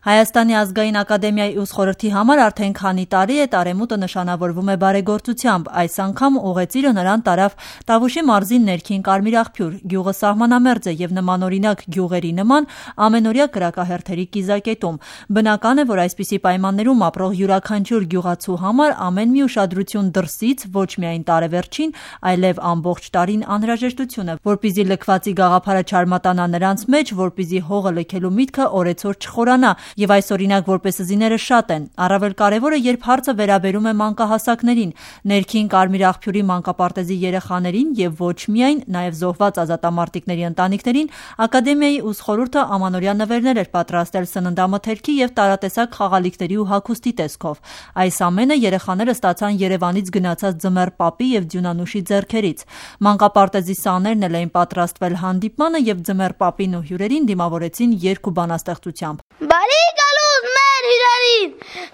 Հայաստանի ազգային ակադեմիայի ուսխորհրդի համար արդեն քանի տարի է տարեմուտը նշանավորվում է բարեգործությամբ, այս անգամ ուղեծիրը նրան տարավ Տավուշի մարզի ներքին Կարմիր աղբյուր, գյուղը սահմանամերձ է եւ նմանօրինակ գյուղերի նման ամենօրյա կրակահերթերի կիզակետում։ Բնական է, որ այսպիսի պայմաններում ապրող յուրաքանչյուր գյուղացու համար ամեն մի ուշադրություն դրսից, ոչ միայն տարեվերջին, այլև ամբողջ տարին անհրաժեշտություն է, որպեսզի լքվածի գաղափարը չարմատանա նրանց մեջ, որպեսզի հողը լքելու միտքը օրեցօր չխորանա։ Եվ այս օրինակ որպես զիները շատ են, առավել կարևորը, երբ հարցը վերաբերում է մանկահասակներին, ներքին Կարմիր աղբյուրի մանկապարտեզի երեխաներին եւ ոչ միայն, նաեւ զոհված ազատամարտիկների ընտանիքներին, ակադեմիայի ուսխորհուրդը ամանորյա նվերներ էր պատրաստել սննդամթերքի եւ տարատեսակ խաղալիքների ու հագուստի տեսքով։ Այս ամենը երեխաները ստացան Երևանից գնացած Ձմեռ պապի եւ Ձյունանուշի ձեռքերից։ Մանկապարտեզի սաներն էլ էին պատրաստվել հանդիպմանը եւ Ձմեռ պապին ու հյուրերին դիմավորեցին երգ ու բանաստեղծությամբ։ Բարի գալուս մեր հյուրերին,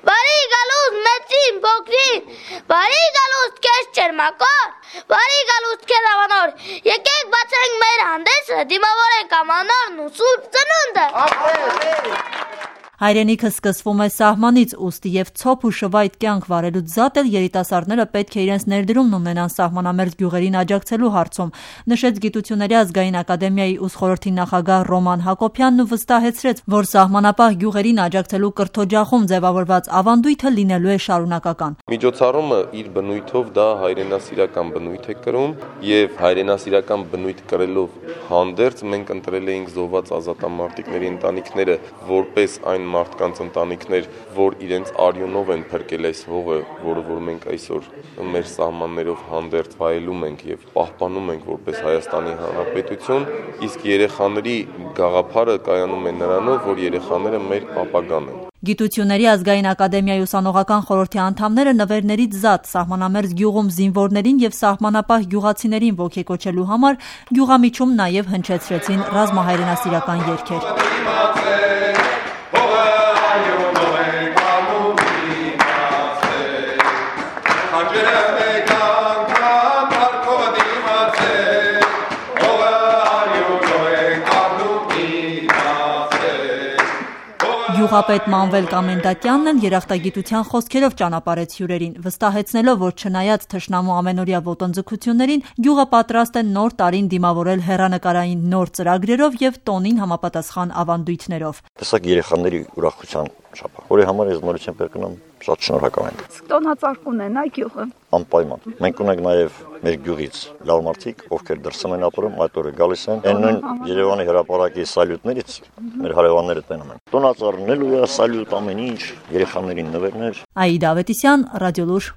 բարի գալուս մեծին, փոքրին, բարի գալուս քեզ ճերմակոր, բարի գալուս քեզ ավանոր, եկեք բացենք մեր հանդեսը, դիմավորենք ամանորն ու սուրբ ծնունդը։ Հայրենիքը սկսվում է սահմանից, ուստի եւ ցոփ ու շվայտ կյանք վարելուց զատ էլ երիտասարդները պետք է իրենց ներդրումն ունենան սահմանամերձ գյուղերին աջակցելու հարցում, նշեց Գիտությունների ազգային ակադեմիայի ուսխորհրդի նախագահ Ռոման Հակոբյանն ու վստահեցրեց, որ սահմանապահ գյուղերին աջակցելու կրթօջախում ձևավորված ավանդույթը լինելու է շարունակական։ Միջոցառումը իր բնույթով դա հայրենասիրական բնույթ է կրում եւ հայրենասիրական բնույթ կրելով հանդերձ մենք ընտրել էինք զոհված ազատամարտիկների ընտանիքները որպես այն մարդկանց ընտանիքներ, որ իրենց արյունով են փրկել այս հողը, որը որ մենք այսօր մեր սահմաններով հանդերձ վայելում ենք եւ պահպանում ենք որպես Հայաստանի Հանրապետություն, իսկ երեխաների գաղափարը կայանում է նրանով, որ երեխաները մեր ապագան են։ Գիտությունների ազգային ակադեմիայի ուսանողական խորհրդի անդամները նվերներից զատ սահմանամերձ գյուղում զինվորներին եւ սահմանապահ գյուղացիներին ոգեկոչելու համար գյուղամիջում նաեւ հնչեցրեցին ռազմահայրենասիրական երգեր։ Գյուղապետ Մանվել Կամենդատյանն էլ երախտագիտության խոսքերով ճանապարհեց հյուրերին, վստահեցնելով, որ չնայած թշնամու ամենօրյա ոտնձգություններին, գյուղը պատրաստ է նոր տարին դիմավորել հեռանկարային նոր ծրագրերով եւ տոնին համապատասխան ավանդույթներով։ Տեսակ երեխաների ուրախության շաբաթ, որի համար ես նորից եմ կրկնում, շատ շնորհակալ ենք։ Տոնածառ կունենա գյուղը։ Անպայման։ Մենք ունենք նաեւ մեր գյուղից լավ մարդիկ, ովքեր դրսում են ապրում, այդ օրը գալիս են։ Այն նույն Երևանի հրապարակի սալյուտներից մեր հարևանները տենում են։ Տոնածառնելու է սալյուտ ամեն ինչ, երեխաներին նվերներ։ Աիդա Ավետիսյան, Ռադիոլուր։